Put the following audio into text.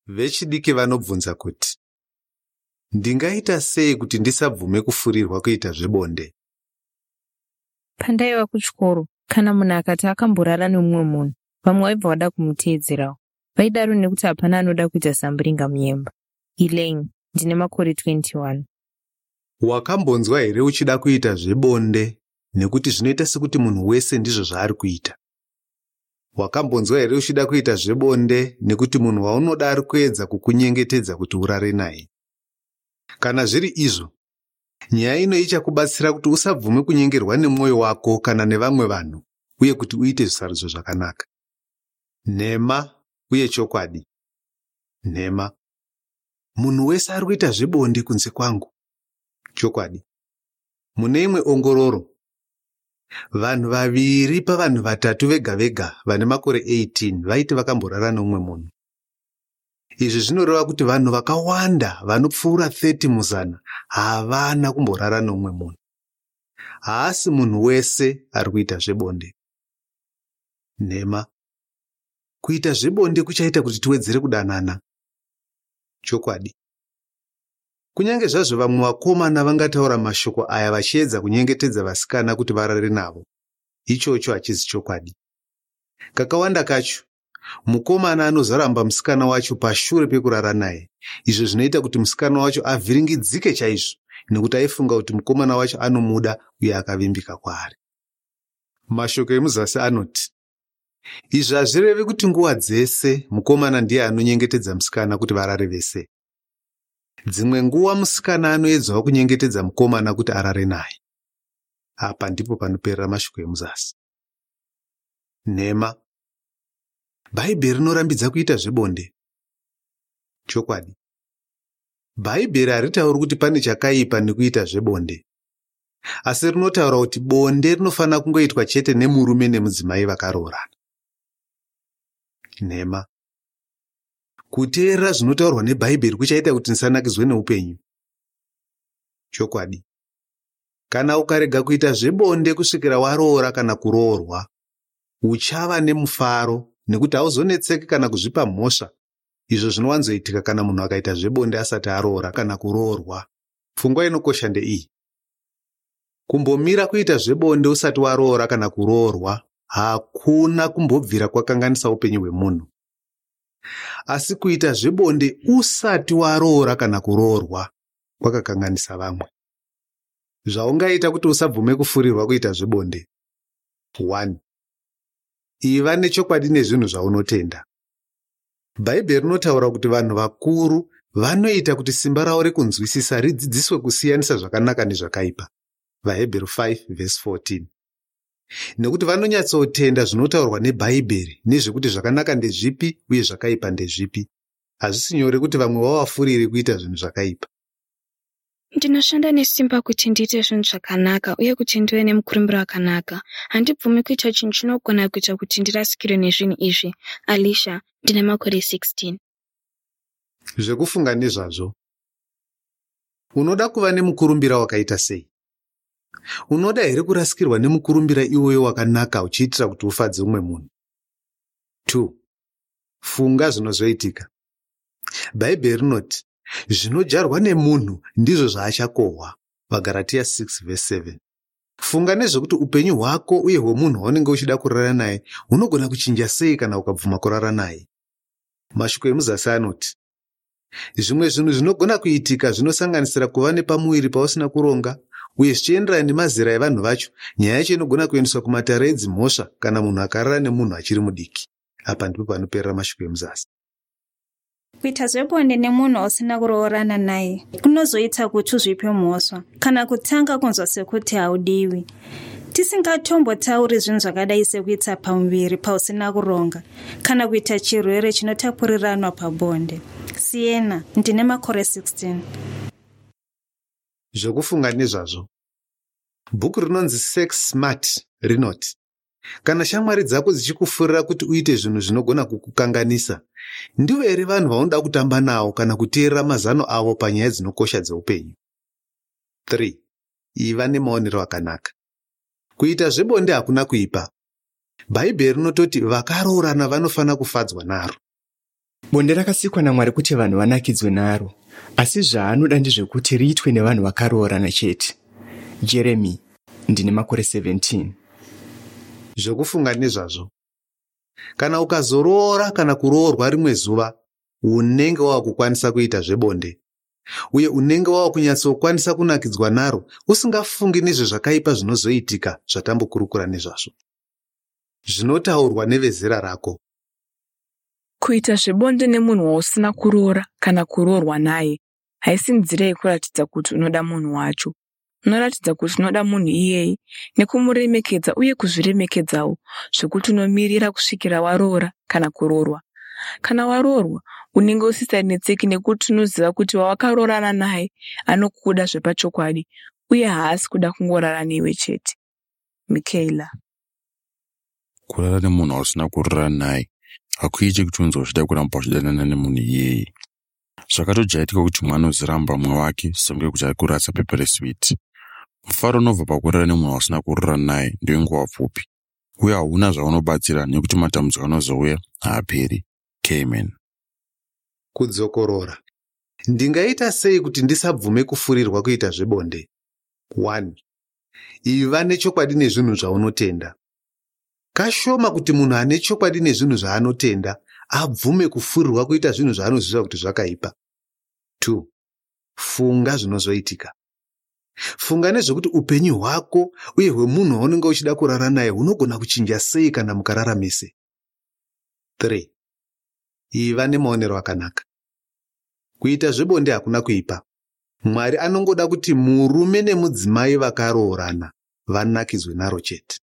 Vechidiki vanobvunza kuti, Ndingaita sei kuti ndisabvume kufurirwa kuita zvebonde? Pandaiva kuchikoro, kana munhu akati akamborara nemumwe munhu, vamwe vaibva vada kumuteedzerawo. Vaidaro nekuti hapana anoda kuita zambiringa munyemba. Elaine, ndine makore 21. Wakambonzwa here uchida kuita zvebonde nekuti zvinoita sekuti munhu wese ndizvo zvaari kuita? Wakambonzwa here uchida kuita zvebonde nekuti munhu waunoda ari kuedza kukunyengetedza kuti urare naye? Kana zviri izvo, nyaya ino ichakubatsira kuti usabvume kunyengerwa nemwoyo wako kana nevamwe vanhu uye kuti uite zvisarudzo zvakanaka. Nhema uye chokwadi. Nhema. Munhu wese ari kuita zvebonde kunze kwangu. Chokwadi. Mune imwe ongororo, vanhu vaviri pavanhu vatatu vega vega vane makore 18 vaiti vakamborara neumwe munhu. Izvi zvinoreva kuti vanhu vakawanda vanopfuura 30 muzana havana kumborara neumwe munhu. Haasi munhu wese ari kuita zvebonde. Nhema. Kuita zvebonde kuchaita kuti tiwedzere kudanana. Chokwadi. Kunyange zvazvo vamwe vakomana vangataura mashoko aya vachiedza kunyengetedza vasikana kuti varare navo, ichocho hachizi chokwadi. Kakawanda kacho, mukomana anozoramba musikana wacho pashure pekurara naye, izvo zvinoita kuti musikana wacho avhiringidzike chaizvo nekuti aifunga kuti mukomana wacho anomuda uye akavimbika kwaari. Mashoko emuzasi anoti, Izvi hazvirevi kuti nguva dzese mukomana ndiye anonyengetedza musikana kuti varare vese. Dzimwe nguva musikana anoedzawo kunyengetedza mukomana kuti arare naye. Apa ndipo panoperera mashoko emuzasi. Nhema. Bhaibheri rinorambidza kuita zvebonde. Chokwadi. Bhaibheri haritauri kuti pane chakaipa nekuita zvebonde. Asi rinotaura kuti bonde rinofanira kungoitwa chete nemurume nemudzimai vakaroorana. Nhema. Kuteerera zvinotaurwa neBhaibheri kuchaita kuti ndisanakidzwe neupenyu. Chokwadi. Kana ukarega kuita zvebonde kusvikira waroora kana kuroorwa, uchava nemufaro nekuti hauzonetseki kana kuzvipa mhosva izvo zvinowanzoitika kana munhu akaita zvebonde asati aroora kana kuroorwa. Pfungwa inokosha ndeiyi. Kumbomira kuita zvebonde usati waroora kana kuroorwa hakuna kumbobvira kwakanganisa upenyu hwemunhu. Asi kuita zvebonde usati waroora kana kuroorwa kwakakanganisa vamwe. Zvaungaita kuti usabvume kufurirwa kuita zvebonde. 1. Iva nechokwadi nezvinhu zvaunotenda. Bhaibheri rinotaura kuti vanhu vakuru vanoita kuti simba ravo rekunzwisisa ridzidziswe kusiyanisa zvakanaka nezvakaipa. VaHebheru 5:14. Nekuti vanonyatsotenda zvinotaurwa neBhaibheri nezvekuti zvakanaka ndezvipi uye zvakaipa ndezvipi. Hazvisi nyore kuti vamwe vavafurire kuita zvinhu zvakaipa. Ndinoshanda nesimba kuti ndiite zvinhu zvakanaka uye kuti ndive nemukurumbira wakanaka. Handibvumi kuita chinhu chinogona kuita kuti ndirasikirwe nezvinhu izvi. Alicia, ndine makore 16. Zvekufunga nezvazvo. Unoda kuva nemukurumbira wakaita sei? Unoda here kurasikirwa nemukurumbira iwoyo wakanaka uchiitira kuti ufadze umwe munhu? 2. Funga zvinozoitika. Bhaibheri rinoti, Zvinodyarwa nemunhu ndizvo zvaachakohwa. VaGaratiya 6:7. Funga nezvekuti upenyu hwako uye hwemunhu waunenge uchida kurara naye hunogona kuchinja sei kana ukabvuma kurara naye. Mashoko emuzasi anoti, Zvimwe zvinhu zvinogona kuitika zvinosanganisira kuva nepamuviri pausina kuronga uye zvichienderana nemazera evanhu vacho, nyaya yacho inogona kuendeswa kumatare edzimhosva kana munhu akarara nemunhu achiri mudiki. Apa ndipo panoperera mashoko emuzasi. Kuita zvebonde nemunhu wausina kuroorana naye kunozoita kuti uzvipe mhosva kana kutanga kunzwa sekuti haudiwi. Tisingatombotauri zvinhu zvakadai sekuita pamuviri pausina kuronga kana kuita chirwere chinotapuriranwa pabonde. Siena, ndine makore 16. Zvekufunga nezvazvo. Bhuku rinonzi Sex Smart rinoti, Kana shamwari dzako dzichikufurira kuti uite zvinhu zvinogona kukukanganisa, ndivo here vanhu vaunoda kutamba navo kana kuteerera mazano avo panyaya dzinokosha dzeupenyu? 3. Iva nemaonero akanaka. Kuita zvebonde hakuna kuipa. Bhaibheri rinototi vakaroorana vanofanira kufadzwa naro. Bonde rakasikwa naMwari kuti vanhu vanakidzwe naro, asi zvaanoda ndezvekuti riitwe nevanhu vakaroorana chete. Jeremy, ndine makore 17. Zvekufunga nezvazvo. Kana ukazoroora kana kuroorwa rimwe zuva, unenge wava kukwanisa kuita zvebonde. Uye unenge wava kunyatsokwanisa kunakidzwa naro usingafungi nezvezvakaipa zvinozoitika zvatambokurukura nezvazvo. Zvinotaurwa nevezera rako. Kuita zvebonde nemunhu wausina kuroora kana kuroorwa naye haisi nzira yekuratidza kuti unoda munhu wacho. Unoratidza kuti unoda munhu iyeye nekumuremekedza uye kuzviremekedzawo zvekuti unomirira kusvikira waroora kana kuroorwa. Kana waroorwa, unenge usisanetseki nekuti unoziva kuti wawakaroorana naye anokuda zvepachokwadi uye haasi kuda kungorara newe chete. Michaela. Kurara nemunhu wausina kuroorana naye hakuiti kuti unzwe uchida kuramba uchidanana nemunhu iyeye. Zvakatojairika kuti mumwe anozoramba mumwe wake senge kuti ari kurasa pepa reswiti. Mufaro unobva pakurara nemunhu wausina kuroorana naye ndewenguva pfupi uye hauna zvaunobatsira nekuti matambudziko anozouya haaperi. Cayman. Kudzokorora. Ndingaita sei kuti ndisabvume kufurirwa kuita zvebonde? 1. Iva nechokwadi nezvinhu zvaunotenda. Kashoma kuti munhu ane chokwadi nezvinhu zvaanotenda abvume kufurirwa kuita zvinhu zvaanoziva kuti zvakaipa. 2. Funga zvinozoitika. Funga nezvekuti upenyu hwako uye hwemunhu waunenge uchida kurara naye hunogona kuchinja sei kana mukarara mese. 3. Iva nemaonero akanaka. Kuita zvebonde hakuna kuipa. Mwari anongoda kuti murume nemudzimai vakaroorana vanakidzwe naro chete.